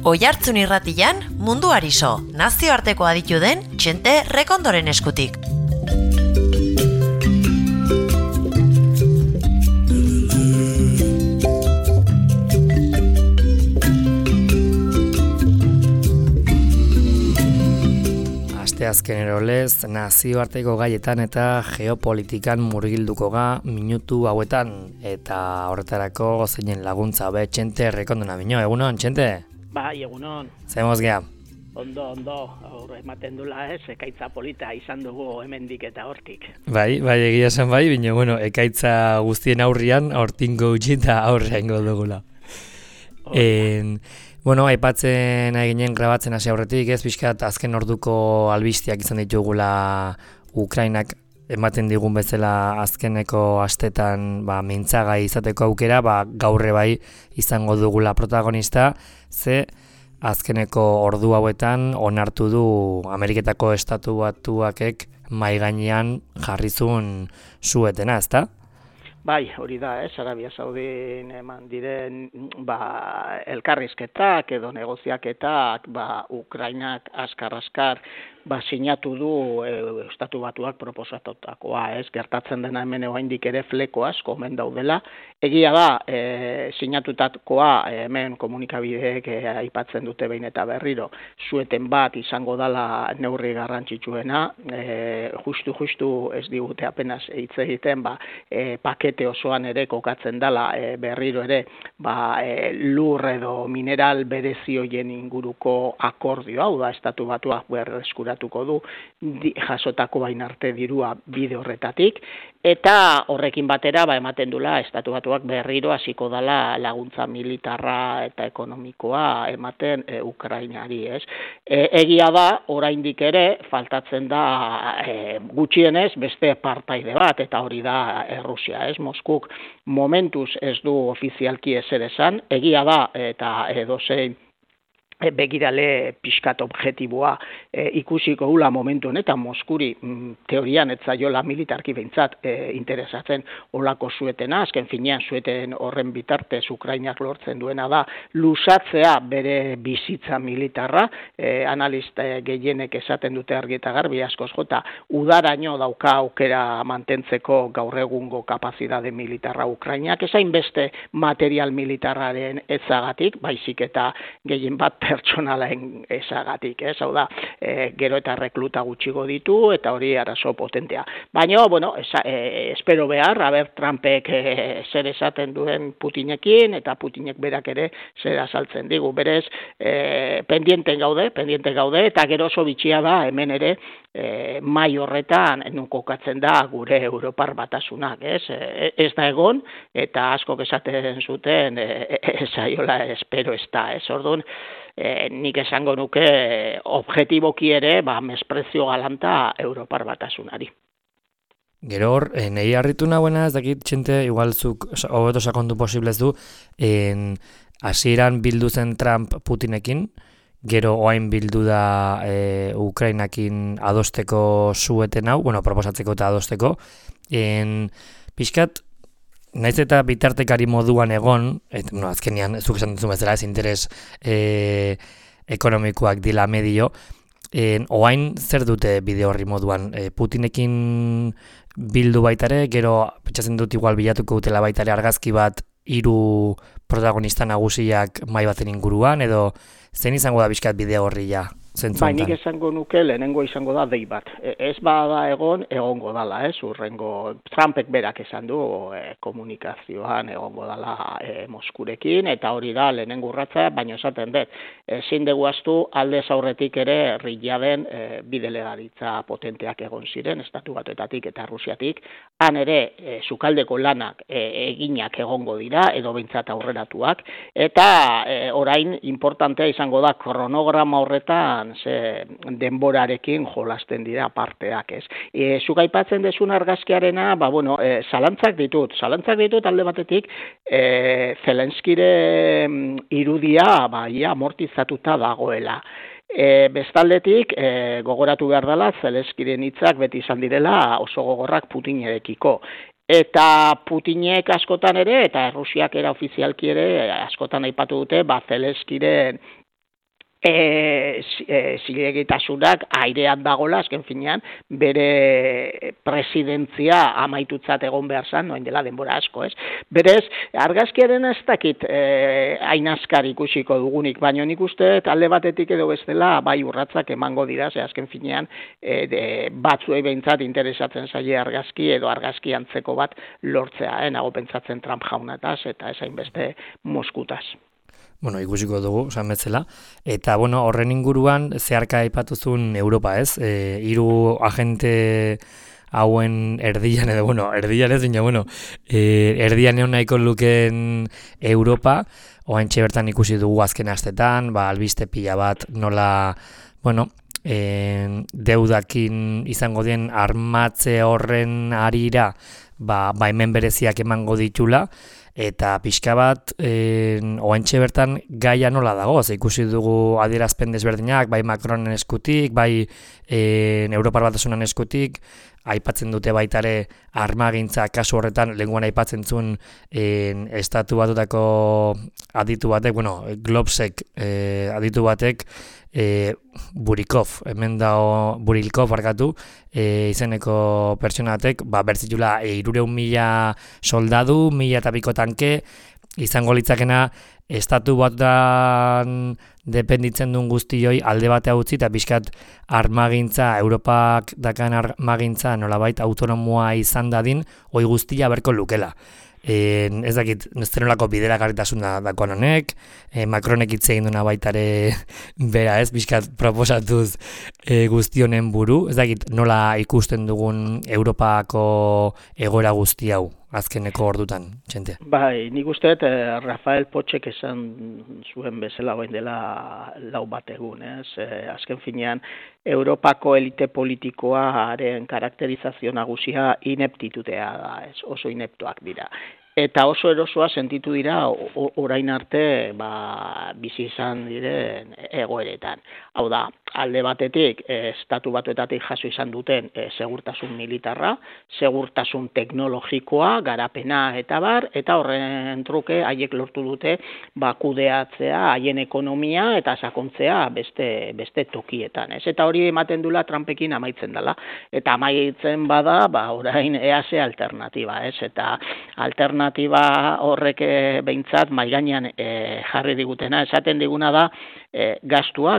Oihartzun irratian, munduari so, nazioarteko aditu den Txente Rekondoren eskutik. Azkenero lez, nazioarteko gaietan eta geopolitikan murgilduko ga minutu hauetan eta horretarako zeinen laguntza be Txente Rekondona bino, egunon, Txente? Bai, egunon. Zemoz geha? Ondo, aurre ematen dula ekaitza polita izan dugu hemendik eta hortik. Bai, egia esan bai, bino, bueno, ekaitza guztien aurrian, hortingo utzi eta aurreango dugula. Bueno, aipatzen eginen grabatzen hasi aurretik, ez pixkat azken orduko albisteak izan ditugula Ukrainak ematen digun bezala azkeneko astetan mintzagai izateko aukera, gaurre bai izango dugula protagonista, ze azkeneko ordu hauetan onartu du Ameriketako Estatu Batuakek mahai gainean jarrizun suetena, ezta? Bai, hori da, Arabia Saudin eman diren elkarrizketak edo negoziaketak, Ukrainak askar sinatu du Estatu Batuak proposatutakoa, gertatzen dena hemen oraindik ere fleko asko omen daudela. Egia da, sinatutakoa hemen komunikabideek aipatzen dute behin eta berriro, sueten bat izango dela neurri garrantzitsuena, justu ez digute apenas hitz egiten, pakete osoan ere kokatzen dela berriro ere lur edo mineral berezi horien inguruko akordio, hau da Estatu Batuak berreskuratuko du jasotako bain arte dirua bide horretatik, eta horrekin batera ematen dula Estatu Batuak berriro hasiko dela laguntza militarra eta ekonomikoa ematen Ukrainari, ez? Egia da, oraindik ere faltatzen da gutxienez beste partaide bat, eta hori da Errusia, ez? Moskuk momentuz ez du ofizialki ezer esan, egia da, eta edozein begirale pixkat objektiboa ikusiko gula momentu honetan Moskuri teorian ez zaiola militarki behintzat interesatzen olako suetena, azken finean sueten horren bitartez Ukrainak lortzen duena da lusatzea bere bizitza militarra, analista gehienek esaten dute argi eta garbi askoz jota, udaraino dauka aukera mantentzeko gaur egungo kapazitate militarra Ukrainak, ezain beste material militarraren ezagatik, baizik eta gehien bat pertsonalaen ezagatik, hau da, gero eta rekluta gutxigo ditu, eta hori arazo potentea. Baina, espero behar, Trumpek zer esaten duen Putinekin, eta Putinek berak ere zer azaltzen digu. Berez, pendienten gaude, eta gero oso bitxia da, hemen ere, mai horretan kokatzen da gure Europar Batasunak, ez da egon, eta askok esaten zuten, esaiola espero ez da, orduan, nik esango nuke objektiboki ere mesprezio galanta Europar Batasunari. Gero hor, nahi harritu nahuena, ez dakit, Txente, igual zuk hobeto sakondu posiblez du, hasieran bildu zen Trump Putinekin, gero oain bildu da Ukrainakin adosteko sueten hau, proposatzeko eta adosteko, pixkat, naiz eta bitartekari moduan egon, azkenean, zuk esan duzu bezala, ez interes ekonomikoak dila medio, oain zer dute bide horri moduan? Putinekin bildu baitare, gero pentsatzen dut igual bilatuko dutela baitare argazki bat hiru protagonista nagusiak mahai baten inguruan, edo zen izango da bizkat bide horri ja? Nik esango nuke lehenengo izango da dei bat. Ez bada egongo dala, urrengo Trumpek berak esan du komunikazioan egongo dala Moskurekin, eta hori da lehenengo urratza, baina esaten dut. Ezin dugu ahaztu aldez aurretik ere riladen bidelegaritza potenteak egon ziren, Estatu Batuetatik eta Rusiatik, han ere sukaldeko lanak eginak egongo dira, edo behintzat aurreratuak, eta orain importantea izango da kronograma horretan denborarekin jolasten dira parteak, ez. Zuk aipatzen dezun argazkiarena, zalantzak ditut alde batetik, Zelenskire irudia amortizatuta dagoela. Bestaldetik, gogoratu behar dela, Zelenskiren hitzak beti izan direla oso gogorrak Putinerekiko. Eta Putinek askotan ere, eta Rusiak era ofizialki ere askotan aipatu dute, Zelenskiren zilegitasunak airean dagola, azken finean, bere presidentzia amaitutzat egon behar zan, noin dela denbora asko, ez? Berez, argazkiaren ez dakit hain askar ikusiko dugunik, baina nik uste alde batetik edo bestela bai urratzak emango dira, ze azken finean batzuei behintzat interesatzen zaie argazki edo argazki antzeko bat lortzea, nago pentsatzen Trump jaunataz eta esain beste Moskutaz. Bueno, ikusiko dugu, esan betzela. Eta, bueno, horren inguruan, zeharka aipatuzun Europa, ez? 3 agente hauen erdian, edo, bueno, erdian ez, baina, bueno, erdian egon nahiko luken Europa, oaintxe bertan ikusi dugu azken astetan, albiste pila bat nola, bueno, deudakin izango den armatze horren arira, hemen bereziak emango ditula, eta pixka bat, oaintxe bertan gaia nola dago, ikusi dugu adierazpen desberdinak, bai Macronen eskutik, bai Europar Batasunan eskutik, aipatzen dute baitare armagintza kasu horretan, lehenguan aipatzen zuen estatu batutako aditu batek, bueno, Globsec aditu batek, Burikov, hemen dago Burilkov barkatu, izeneko pertsonatek, bertzitula 300.000 soldadu, 1.000 eta piko tanke, izango litzakena estatu batan dependitzen duen guztioi alde batea utzi eta pixkat armagintza, Europak dakan armagintza nolabait autonomoa izan dadin, hoi guztia berko lukela. Ez dakit, zenolako bidera garritasun dakoan honek, Macronek hitz egin duna baitare bera ez, pixkat proposatuz guztionen buru, ez dakit nola ikusten dugun Europako egoera guzti hau azkeneko ordutan, txente. Bai, nik usteet Rafael Potxek esan zuen bezala goen dela 4 bat egun, ez? Azken finean, Europako elite politikoaren karakterizazio nagusia ineptitutea da, ez? Oso ineptoak dira. Eta oso erosoa sentitu dira orain arte bizi izan diren egoeretan. Hau da, alde batetik, estatu batuetatik jaso izan duten segurtasun militarra, segurtasun teknologikoa, garapena eta bar, eta horren truke haiek lortu dute kudeatzea haien ekonomia eta sakontzea beste tokietan. Ez? Eta hori ematen dula Trumpekin amaitzen dela. Eta amaitzen bada, orain EASE alternatiba, ez? Eta alternatiba horrek behintzat mahai gainean jarri digutena, esaten diguna da gastua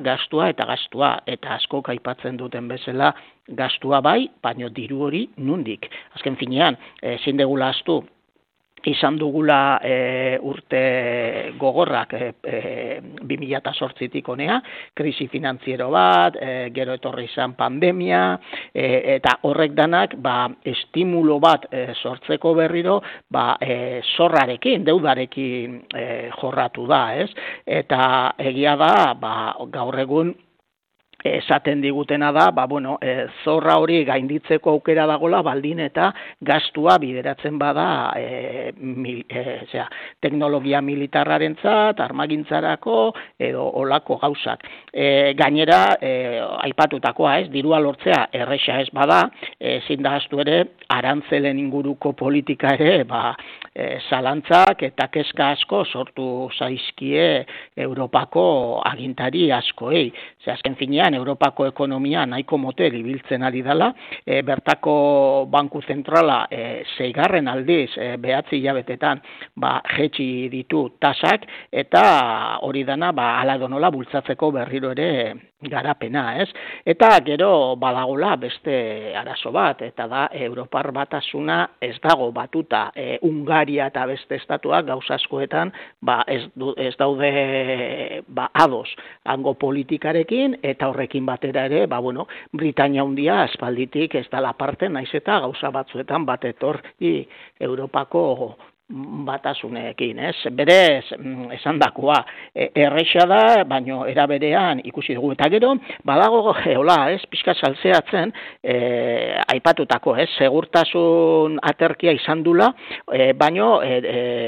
eta gastua, eta askok aipatzen duten bezala gastua bai, baino diru hori nundik. Azken finean, ezin degula ahaztu, izan dugula urte gogorrak 2008tik honea, krisi finantziero bat, gero etorri izan pandemia, eta horrek danak estimulo bat sortzeko berriro zorrarekin, deudarekin jorratu da, ez? Eta egia da, gaur egun esaten digutena da, zorra hori gainditzeko aukera dagola, baldin eta gastua bideratzen bada teknologia militarrarentzat, armagintzarako edo olako gauzak. Gainera, aipatutakoa, ez, dirua lortzea erresa ez bada, ezin da ahaztu ere, arantzelen inguruko politika ere, zalantzak eta kezka asko sortu zaizkie Europako agintari askoei. Azken finean, Europako ekonomia nahiko motel ibiltzen ari dela, bertako banku zentrala 6. aldiz 9 hilabetetan jetxi ditu tasak, eta hori dana hala edo nola bultzatzeko berriro ere garapena, ez? Eta gero badagola beste arazo bat, eta da Europar Batasuna ez dago batuta, Hungaria eta beste estatuak gauza askoetan ez daude ados hango politikarekin, eta horrekin batera ere, Britania Handia aspalditik ez dela parte, naiz eta gauza batzuetan bat etorri Europako batasunekin, ez? Berez, esan dakoa, erresa da, baino era berean ikusi dugu. Eta gero, badago, ez, pixka saltzeatzen, aipatutako, ez, segurtasun aterkia izan dula, baino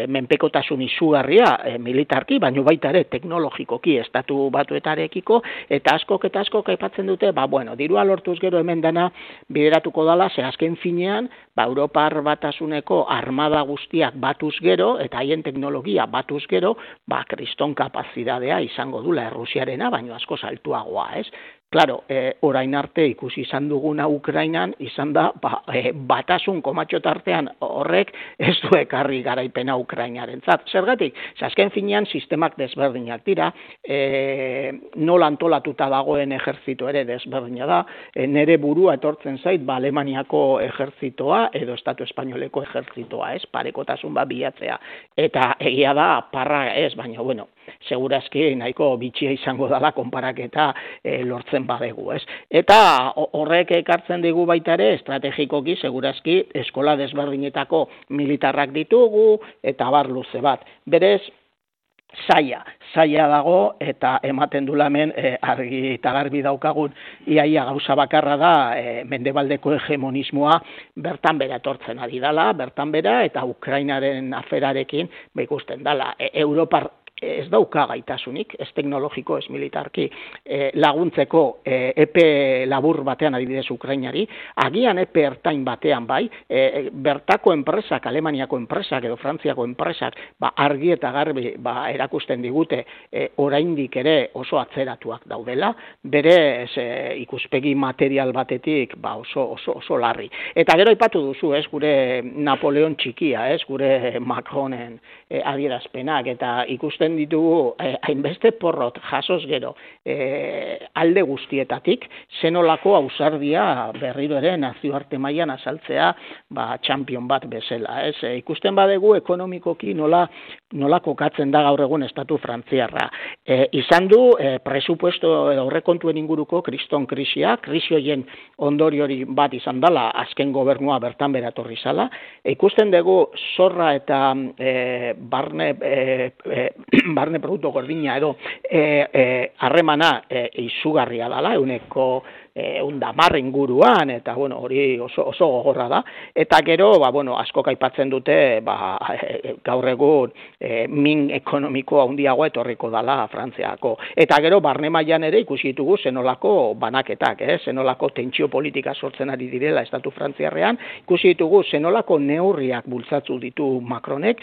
menpekotasun izugarria militarki, baino baita ere teknologikoki estatu batuetarekiko, eta askok aipatzen dute, dirua lortuz gero hemen dana bideratuko dala, ze azken finean, Europar Batasuneko armada guztiak batuz gero, eta haien teknologia batuz gero, kriston kapazitatea izango dula Errusiarena, baino asko altuagoa, ez? Claro, orain arte ikusi izan duguna Ukrainan, izan da, batasun komatxo tartean horrek ez du ekarri garaipena Ukrainarentzat. Zergatik, azken finean sistemak desberdinak dira, nola antolatuta dagoen ejertzito ere desberdina da, nere burua etortzen zait, Alemaniako ejertzitoa edo Estatu Espainoleko ejertzitoa, ez, parekotasun bilatzea. Eta egia da, parra ez, baina, bueno, segurazki nahiko bitxia izango dela konparaketa lortzen badegu, ez? Eta horrek ekartzen digu baita ere, estrategikoki, segurazki, eskola desberdinetako militarrak ditugu, eta bar luze bat. Berez, zaila dago, eta ematen du hemen argi eta garbi daukagun iaia gauza bakarra da mendebaldeko hegemonismoa bertan bera etortzen ari dela, bertan bera, eta Ukrainaren aferarekin ikusten dela. Europar ez dauka gaitasunik, ez teknologiko, ez militarki laguntzeko epe labur batean adibidez Ukrainari, agian epe ertain batean bai, bertako enpresak, Alemaniako enpresak edo Frantziako enpresak argi eta garbi erakusten digute oraindik ere oso atzeratuak daudela, bere ikuspegi material batetik oso larri. Eta gero aipatu duzu, gure Napoleon txikia, gure Macronen adierazpenak, eta ikusten ditugu hainbeste porrot jasoz gero alde guztietatik, zenolako ausardia berriro ere nazioarte mailan azaltzea champion bat bezala. Ikusten badegu ekonomikoki nola kokatzen da gaur egun estatu frantziarra. Izan du presupuesto edo aurrekontuen inguruko kriston krisia, krisi horien ondoriori bat izan dela azken gobernua bertan bera etorri zala. Ikusten dugu zorra eta barne produktu gordina edo harremana izugarria dela, ehuneko 110 inguruan, eta hori oso gogorra da. Eta gero, asko aipatzen dute, gaur egun min ekonomiko handiagoa etorriko dela Frantziako. Eta gero, barne mailan ere ikusi ditugu zenolako banaketak, zenolako tentsio politika sortzen ari direla estatu frantziarrean, ikusi ditugu zenolako neurriak bultzatu ditu Macronek,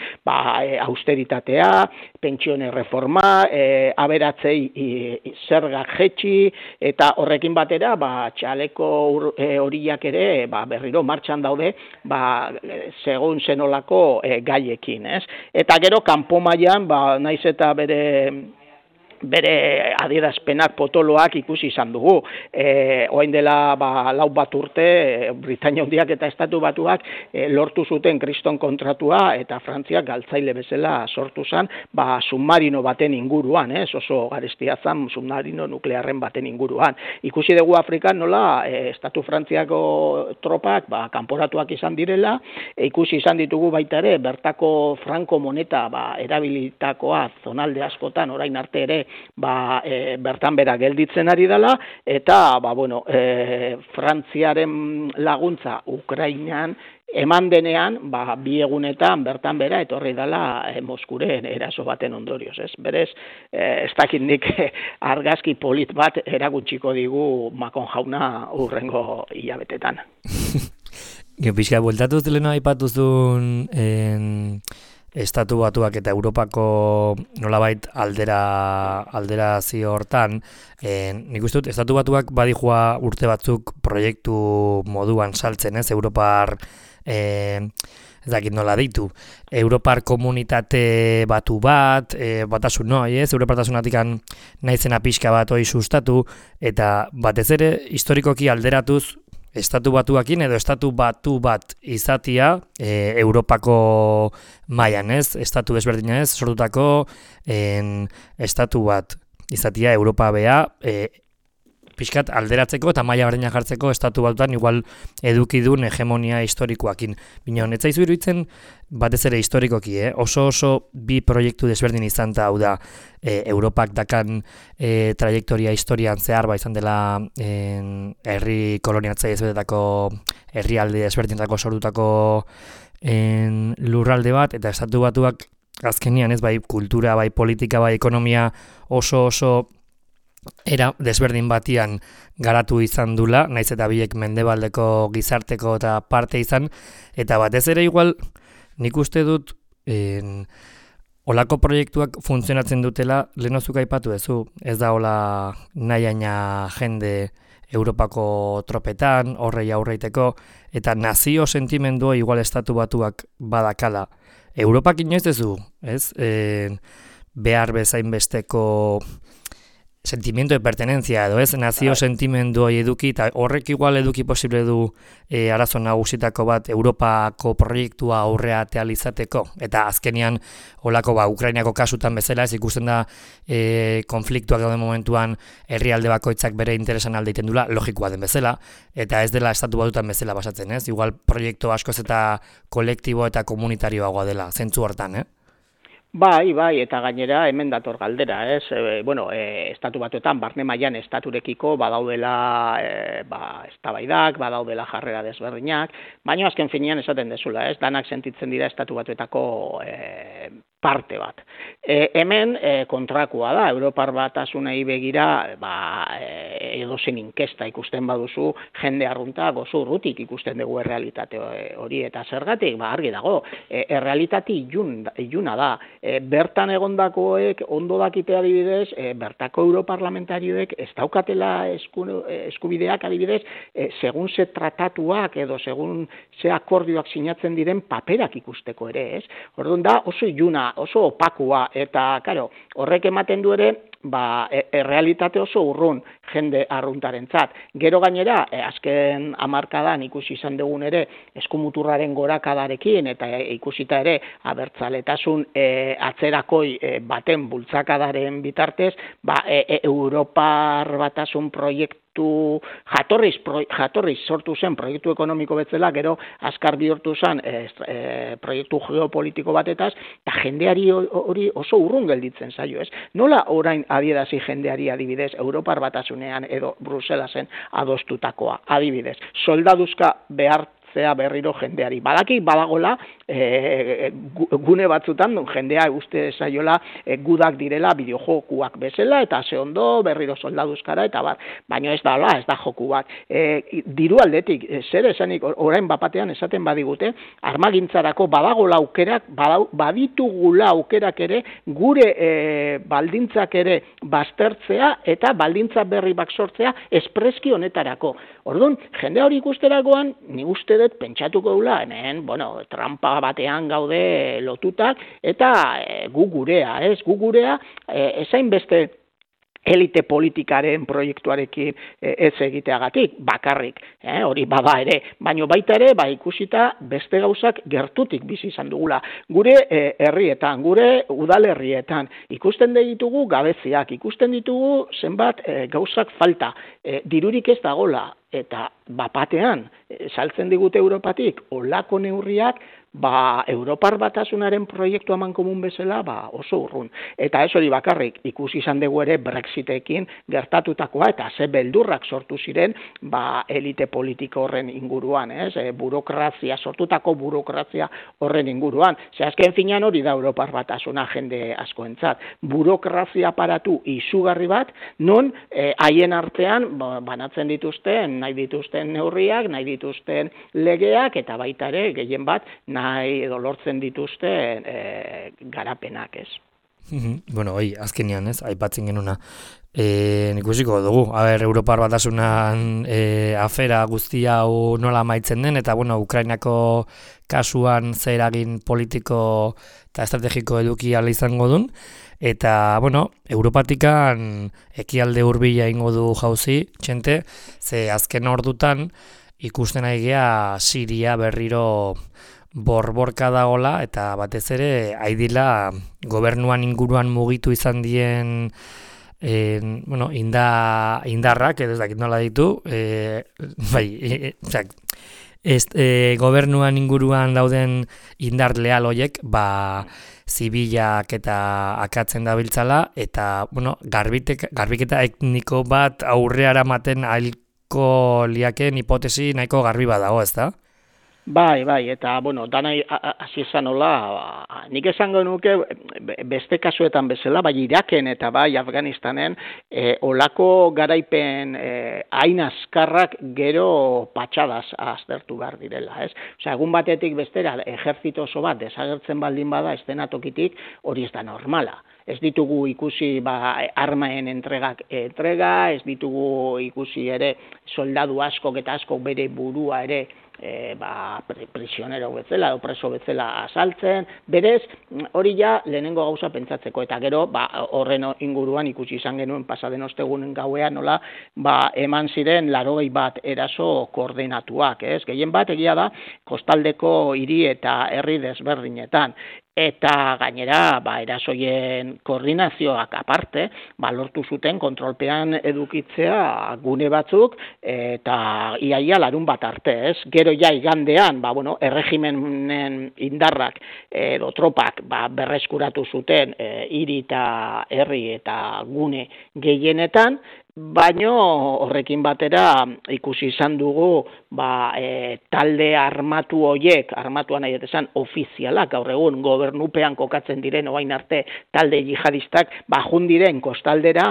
austeritatea, pentsioen reforma, aberatzei zergak jetxi, eta horrekin batera, txaleko horiak ere berriro martxan daude segun zenolako gaiekin, ez? Eta gero kanpo mailan naiz eta bere adierazpenak potoloak ikusi izan dugu. Orain dela 4 urte, Britainia Handiak eta Estatu Batuak lortu zuten kriston kontratua, eta Frantziak galtzaile bezala sortu zen, submarino baten inguruan, oso garestia zen submarino nuklearren baten inguruan. Ikusi dugu Afrikan nola Estatu Frantziako tropak kanporatuak izan direla, ikusi izan ditugu baita ere, bertako franko moneta erabilitakoa zonalde askotan orain arte ere bertan bera gelditzen ari dela, eta Frantziaren laguntza Ukrainan eman denean, 2 egunetan bertan bera etorri dela Moskuren eraso baten ondorioz, ez? Berez, ez dakit nik argazki polit bat erakutsiko digu Macron jauna hurrengo hilabetetan. Pixka, bueltatuz lehena aipatuzun Estatu Batuak eta Europako nolabait alderazio hortan, nik uste dut, Estatu Batuak badijua urte batzuk proiektu moduan saltzen, ez? Europar, ez dakit nola deitu, Europar komunitate batu bat, batasun noi, ez? Europartasunatik naizena pixka bat hori sustatu, eta batez ere, historikoki alderatuz, Estatu Batuakin edo Estatu Batu bat izatia Europako mailan, ez? Estatu desberdina ez, sortutako Estatu bat izatia Europa bea pixkat alderatzeko eta maila berdina jartzeko Estatu Batutan igual eduki duen hegemonia historikoakin. Bino, netzaizu iruditzen batez ere historikoki, oso bi proiektu desberdin izan da, hau da, Europak dakan trajektoria historian zehar izan dela herri koloniatzaile ezberdetako herrialde desberdinetako sortutako lurralde bat, eta Estatu Batuak azkenian ez, bai kultura, bai politika, bai ekonomia oso era desberdin batian garatu izan dula, naiz eta biek mendebaldeko gizarteko eta parte izan, eta batez ere igual nik uste dut olako proiektuak funtzionatzen dutela, lehenozuk aipatu duzu, ez da hola nahiaina jende Europako tropetan, horrei aurreiteko, eta nazio sentimendua igual estatu batuak badakala. Europak inoiz duzu, ez? Behar bezain besteko sentimiento de pertenencia edo ez, nazio sentimendu hori eduki, eta horrek igual eduki posible du arazo nagusitako bat Europako proiektua aurrea izateko, eta azkenian holako Ukrainako kasutan bezala ez ikusten da konfliktuak dauden momentuan herrialde bakoitzak bere interesan alde egiten dula, logikoa den bezala, eta ez dela estatu batutan bezala basatzen, ez? Igual proiektu askoz eta kolektibo eta komunitarioagoa dela, zentzu hortan, Bai, eta gainera hemen dator galdera, ez? Estatu batuetan, barne mailan estaturekiko badaudela eztabaidak, badaudela jarrera desberdinak, baina azken finean esaten dezula, ez? Danak sentitzen dira estatu batuetako parte bat. Hemen kontrakoa da, Europar Batasunei begira, edozein inkesta ikusten baduzu, jende arrunta gozo urrutik ikusten dugu errealitate hori, eta zergatik, argi dago, errealitate iluna da. Bertan egondakoek ondo dakite adibidez, bertako europarlamentarioek ez daukatela eskubideak adibidez, segun ze tratatuak edo segun ze akordioak sinatzen diren paperak ikusteko ere, ez? Orduan da oso iluna, oso opakua, eta claro, horrek ematen du ere, errealitate oso urrun jende arruntarentzat. Gero gainera, azken hamarkadan ikusi izan dugun ere, eskumuturraren gorakadarekin, eta ikusita ere, abertzaletasun atzerakoi baten bultzakadaren bitartez, Europar Batasun proiektu jatorriz sortu zen proiektu ekonomiko betzela, gero azkar bihurtu zen proiektu geopolitiko batetaz, eta jendeari hori oso urrun gelditzen zaio, ez? Nola orain adierazi jendeari adibidez Europar Batasunean edo Bruselasen adostutakoa adibidez? Soldaduzka behartzea berriro jendeari. Badaki badagola gune batzutan jendea uste zaiola gudak direla bideojokuak bezala eta ze ondo berriro soldaduzkara eta baina ez da joku bat. Diru aldetik, zer esanik orain bapatean esaten badigute, armagintzarako badagola aukerak, baditugula aukerak ere gure baldintzak ere baztertzea eta baldintza berri bak sortzea espreski honetarako. Orduan, jende hori ikusterakoan, ni uste dut pentsatuko dula, hemen, trampa batean gaude lotutak, eta gu gurea, ezain beste elite politikaren proiektuarekin ez egiteagatik, bakarrik, hori bada ere, baina baita ere, ikusita beste gauzak gertutik bizi izan dugula. Gure herrietan, gure udalerrietan, ikusten ditugu gabeziak, ikusten ditugu zenbat gauzak falta, dirurik ez dagola, eta bapatean, saltzen digute Europatik, olako neurriak, Europar Batasunaren proiektu amankomun bezala oso urrun. Eta ez hori bakarrik, ikusi izan dugu ere Brexitekin gertatutakoa eta ze beldurrak sortu ziren elite politiko horren inguruan, ez? Sortutako burokrazia horren inguruan. Azken finean hori da Europar Batasuna jende askoentzat. Burokrazia aparatu izugarri bat, non haien artean banatzen dituzten, nahi dituzten neurriak, nahi dituzten legeak, eta baita ere gehien bat nahi edo lortzen dituzten garapenak, ez? Azkenean, ez, aipatzen genuna. Ikusiko dugu, Europar Batasunan afera guztia hau nola amaitzen den, eta Ukrainako kasuan zer eragin politiko eta estrategiko eduki ala izango duen, eta, Europatikan ekialde hurbila ingo du jauzi, txente, ze azken ordutan ikusten aigea Siria berriro borborka dagola, eta batez ere haidila gobernuan inguruan mugitu izan dien indarrak, edo ez dakit nola ditu, gobernuan inguruan dauden indar leal hoiek, zibilak eta akatzen dabiltzala, eta, garbiketa etniko bat aurreara maten ailko liaken hipotesi nahiko garbi badago, ez da? Bai, eta, bueno, danai hasi esan hola, nik esango nuke beste kasuetan bezala, bai Iraken eta bai Afganistanen, olako garaipen hain azkarrak gero patxadaz aztertu behar direla, ez? Osea, egun batetik bestera, ejertzito oso bat desagertzen baldin bada, estenatokitik, hori ez da normala. Ez ditugu ikusi armaen entrega, ez ditugu ikusi ere soldadu askok eta askok bere burua ere prisionero bezala, preso bezala asaltzen, berez, hori ja lehenengo gauza pentsatzeko, eta gero, horren inguruan ikusi izan genuen pasaden ostegunen gauean, nola, eman ziren 81 eraso koordinatuak, ez? Gehien bat egia da, kostaldeko hiri eta herri desberdinetan, eta gainera, erasoien koordinazioak aparte, lortu zuten kontrolpean edukitzea gune batzuk, eta iaia larun bat arte, ez? Gero ja igandean, erregimenen indarrak edo tropak berreskuratu zuten hiri eta herri eta gune gehienetan, baino horrekin batera ikusi izan dugu talde armatu hoiek, armatuan nahi esan ofizialak, gaur egun gobernupean kokatzen diren orain arte talde jihadistak, jundiren kostaldera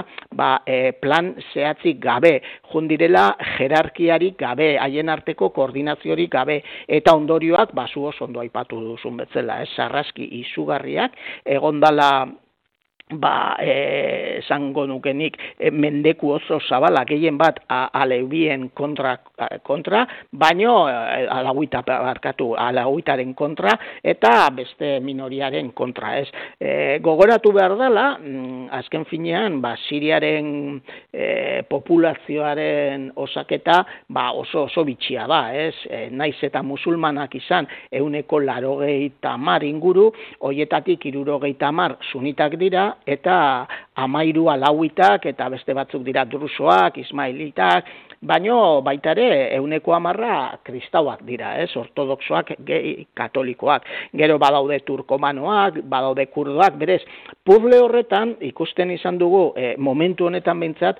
plan zehatzik gabe, jundirela jerarkiarik gabe, haien arteko koordinaziorik gabe, eta ondorioak zu oso ondo aipatu duzun bezala, sarraski izugarriak, egondala esango nukenik mendeku oso zabala gehien bat aleubien kontra, baino alauitaren kontra eta beste minoriaren kontra, ez. Gogoratu behar dela, azken finean, Siriaren populazioaren osaketa oso bitxia da, ez. Naiz eta musulmanak izan 180 inguru, hoietatik 70 sunitak dira, eta 13 alauitak eta beste batzuk dira drusoak, ismailitak, baino baita ere 110 kristauak dira, ez, ortodoxoak, katolikoak. Gero badaude turkomanoak, badaude kurdoak, berez, puzzle horretan ikusten izan dugu momentu honetan behintzat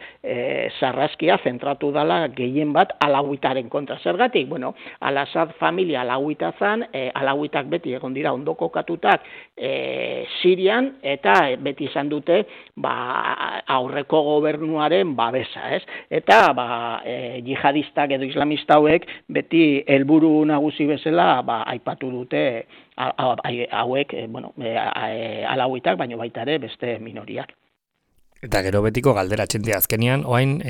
sarraskia zentratu dela gehien bat alauitaren kontra. Zergatik, bueno, Al-Assad familia alauita zan, alauitak beti egon dira ondo kokatutak Sirian, eta beti izan dute aurreko gobernuaren babesa, ez? Eta jihadistak edo islamista hauek beti helburu nagusi bezala aipatu dute hauek, alauitak, baino baita ere beste minoriak. Eta gero betiko galdera txente azkenian, oain,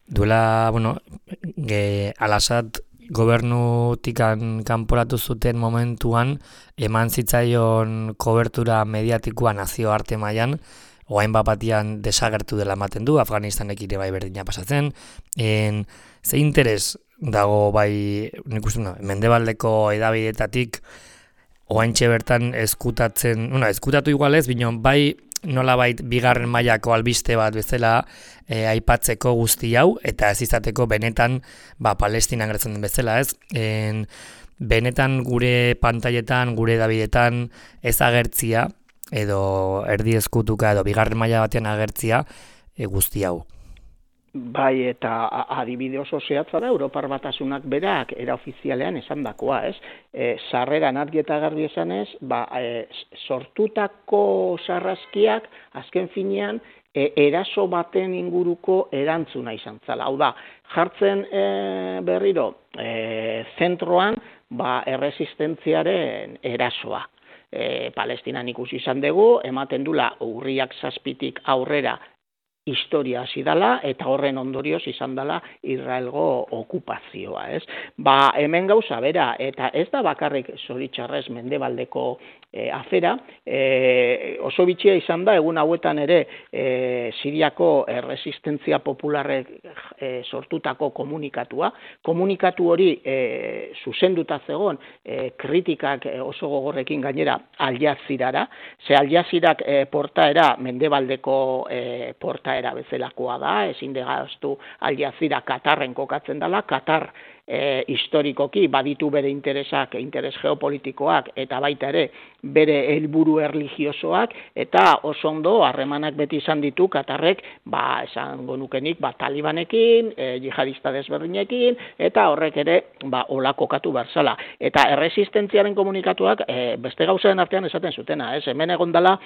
duela, Al-Assad gobernutikan kanporatu zuten momentuan eman zitzaion kobertura mediatikoa nazioarte mailan, oain batian desagertu dela ematen du, Afganistanek ere bai berdina pasatzen, ze interes dago nik uste, mendebaldeko edabidetatik oaintxe bertan eskutatu igualez, bino bai nolabait bigarren mailako albiste bat bezala aipatzeko guzti hau, eta ez izateko benetan Palestinan gertzen den bezala, ez? Benetan gure pantailetan, gure edabidetan ez agertzia, edo erdi eskutuka edo bigarren maila batean agertzia guzti hau. Bai, eta adibide oso zehatza da, Europar Batasunak berak eraofizialean esandakoa, ez? Sarreran argi eta garbi esanez, sortutako sarraskiak azken finean eraso baten inguruko erantzuna izan zala. Hau da, jartzen berriro zentroan erresistentziaren erasoa. Palestinan ikusi izan dugu, ematen dula urriak 7 aurrera historia hasi dela, eta horren ondorioz izan dela Israelgo okupazioa, ez? Hemen gauza bera, eta ez da bakarrik zoritxarrez mendebaldeko afera, oso bitxia izan da, egun hauetan ere Siriako erresistentzia popularrek sortutako komunikatu hori zuzenduta zegoen kritikak oso gogorrekin gainera Al Jazirara, ze Al Jazirak portaera mendebaldeko portaera bezalakoa da, ezin degaztu Al Jazira Katarren kokatzen dela, Katar historikoki baditu bere interesak, interes geopolitikoak eta baita ere bere helburu erlijiosoak, eta oso ondo harremanak beti izan ditu Katarrek, esango nukenik, talibanekin, jihadista desberdinekin, eta horrek ere hola kokatu berzala. Eta erresistentziaren komunikatuak beste gauzaren artean esaten zutena, hemen egon dela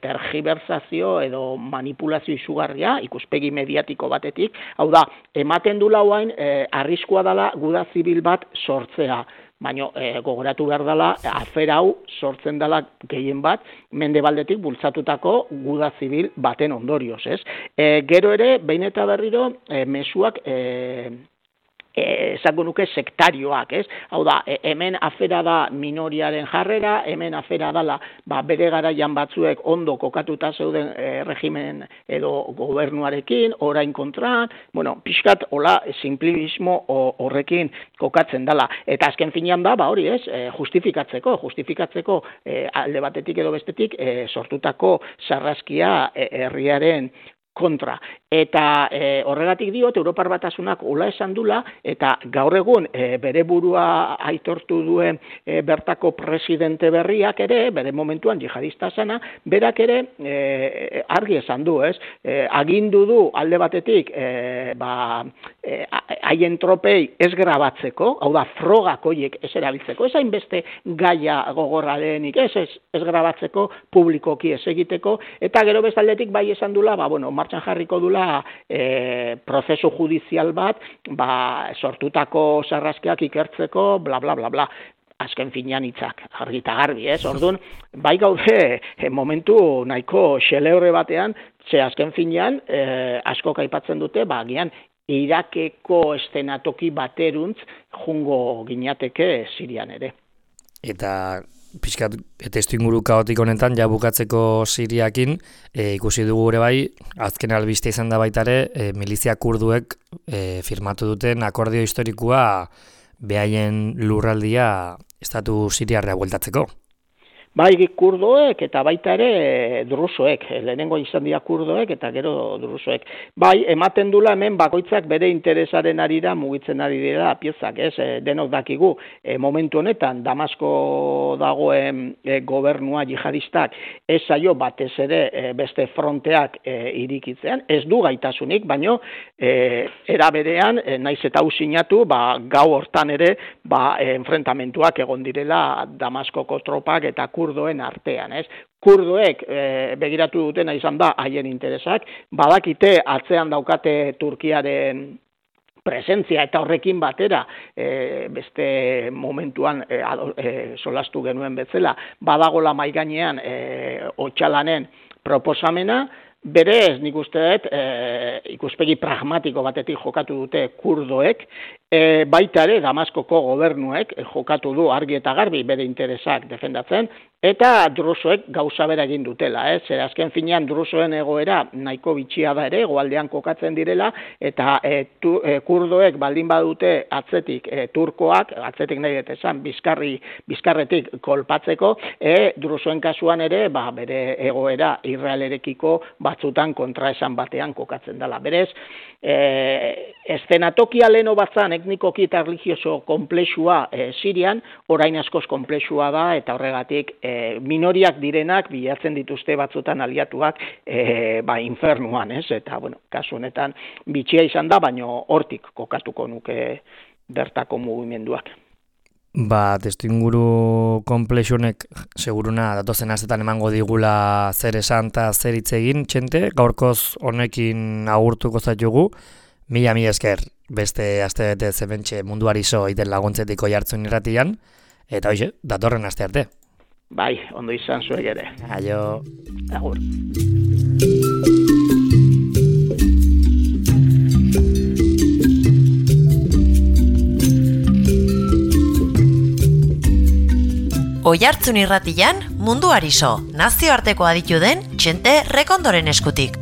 tergibersazio edo manipulazio izugarria, ikuspegi mediatiko batetik, hau da, ematen du lauain arriskua dela guda zibil bat sortzea. Baina gogoratu behar dela, afera hau sortzen dela gehien bat, mendebaldetik bultzatutako guda zibil baten ondorioz, ez? Gero ere, behin eta berriro, mezuak esango nuke sektarioak, ez? Hau da, hemen afera da minoriaren jarrera, hemen afera dela bere garaian batzuek ondo kokatuta zeuden regimen edo gobernuarekin, orain kontran, pixkat hola simplicismo horrekin kokatzen dela. Eta azken finean da, hori ez, justifikatzeko alde batetik edo bestetik sortutako sarraskia herriaren kontra. Eta horregatik diot, Europar Batasunak hola esan dula, eta gaur egun bere burua aitortu duen bertako presidente berriak ere, bere momentuan jihadista zana, berak ere argi esan du, ez? Agindu du alde batetik haien tropei ez grabatzeko, hau da, frogak horiek ez erabiltzeko, ez hainbeste gaia gogorra denik, ez grabatzeko, publikoki ez egiteko, eta gero bestaldetik bai esan dula, martxan jarriko dula prozesu judizial bat, sortutako sarraskiak ikertzeko, bla, bla, bla, bla. Azken finean hitzak, argi eta garbi, ez? Orduan, bai gaude momentu nahiko xelebre batean, ze azken finean, asko aipatzen dute, agian Irakeko estenatoki bateruntz jungo ginateke Sirian ere. Eta pixkat testuinguru kaotik honetan, ja bukatzeko Siriakin, ikusi dugu ere bai, azken albiste izan da baita ere, milizia kurduek firmatu duten akordio historikoa behaien lurraldia estatu siriarra bueltatzeko. Bai kurdoek eta baita ere drusoek, lehenengo izan dira kurdoek eta gero drusoek. Bai, ematen dula hemen bakoitzak bere interesaren arira mugitzen ari dira piezak, ez? Denok dakigu, momentu honetan Damasko dagoen gobernua jihadistak ez zaio batez ere beste fronteak irikitzean, ez du gaitasunik, baino era berean, naiz eta hau sinatu, gau hortan ere enfrentamentuak egon direla Damaskoko tropak eta kurdoen artean, ez? Kurdoek begiratu dutena izan da haien interesak, badakite atzean daukate Turkiaren presentzia eta horrekin batera, beste momentuan solastu genuen bezala, badagola mahai gainean Otsalanen proposamena, berez nik uste dut ikuspegi pragmatiko batetik jokatu dute kurdoek, baita ere Damaskoko gobernuek jokatu du argi eta garbi bere interesak defendatzen, eta drusoek gauza bera egin dutela, zer azken finean drusoen egoera nahiko bitxia da ere, hegoaldean kokatzen direla, eta kurdoek baldin badute atzetik turkoak, atzetik nahi dut esan, bizkarretik kolpatzeko, drusoen kasuan ere, bere egoera Israelerekiko batzutan kontraesan batean kokatzen dela. Berez, eszenatokia leno batzan etnikoki eta religioso konplexua Sirian, orain askoz konplexua da, eta horregatik minoriak direnak bilatzen dituzte batzutan aliatuak infernuan, ez? Eta, kasu honetan bitxia izan da, baino hortik kokatuko nuke bertako mugimenduak. Testuinguru konplexunek seguruna datozen astetan emango digula zer esan eta zer hitz egin, Txente, gaurkoz honekin agurtuko zaitugu. Mila esker beste aste bete zementxe Munduari So iten laguntzetiko jartzun irratian, eta hoxe, datorren aste arte. Bai, ondo izan zuek ere. Aio. Agur. Oihartzun irratian Munduari So, nazioarteko aditu den Txente Rekondoren eskutik.